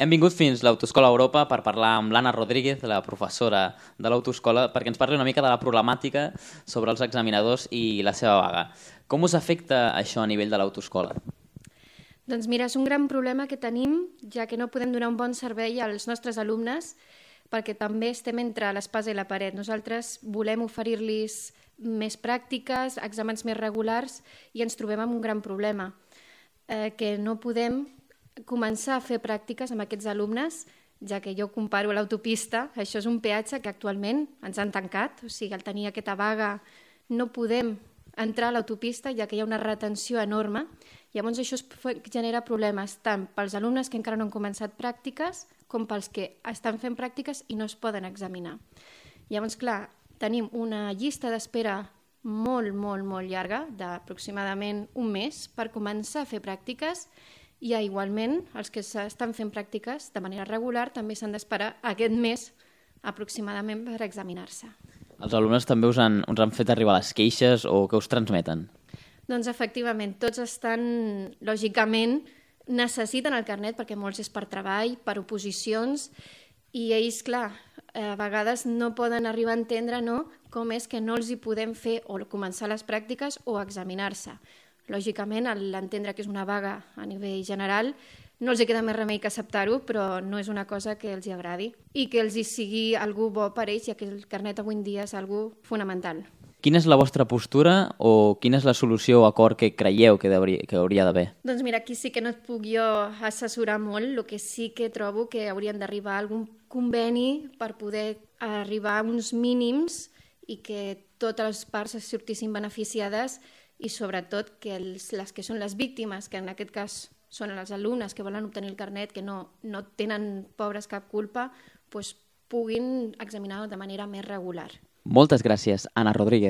Hem vingut fins a l'Autoescola Europa per parlar amb l'Anna Rodríguez, la professora de l'Autoescola, perquè ens parli una mica de la problemàtica sobre els examinadors i la seva vaga. Com us afecta això a nivell de l'Autoescola? Doncs mira, és un gran problema que tenim, ja que no podem donar un bon servei als nostres alumnes, perquè també estem entre l'espasa i la paret. Nosaltres volem oferir-los més pràctiques, exàmens més regulars, i ens trobem amb un gran problema, que no podem començar a fer pràctiques amb aquests alumnes, ja que jo comparo a l'autopista, això és un peatge que actualment ens han tancat, o sigui, al tenir aquesta vaga no podem entrar a l'autopista, ja que hi ha una retenció enorme. Llavors això genera problemes tant pels alumnes que encara no han començat pràctiques com pels que estan fent pràctiques i no es poden examinar. Llavors, clar, tenim una llista d'espera molt llarga, d'aproximadament un mes, per començar a fer pràctiques, i igualment els que estan fent pràctiques de manera regular també s'han d'esperar aquest mes aproximadament per examinar-se. Els alumnes també us han fet arribar les queixes o què us transmeten? Doncs efectivament, tots estan, lògicament, necessiten el carnet perquè molts és per treball, per oposicions, i ells, clar, a vegades no poden arribar a entendre com és que no els hi podem fer o començar les pràctiques o examinar-se. Lògicament, a l'entendre que és una vaga a nivell general, no els hi queda més remei que acceptar-ho, però no és una cosa que els hi agradi i que els hi sigui algú bo per ells, ja que el carnet avui en dia és algú fonamental. Quina és la vostra postura o quina és la solució o acord que creieu que hauria d'haver? Doncs mira, aquí sí que no et puc jo assessorar molt, el que sí que trobo que haurien d'arribar a algun conveni per poder arribar a uns mínims i que totes les parts es sortissin beneficiades i sobretot que les que són les víctimes, que en aquest cas són els alumnes que volen obtenir el carnet, que no tenen, pobres, cap culpa, puguin examinar de manera més regular. Moltes gràcies, Anna Rodríguez.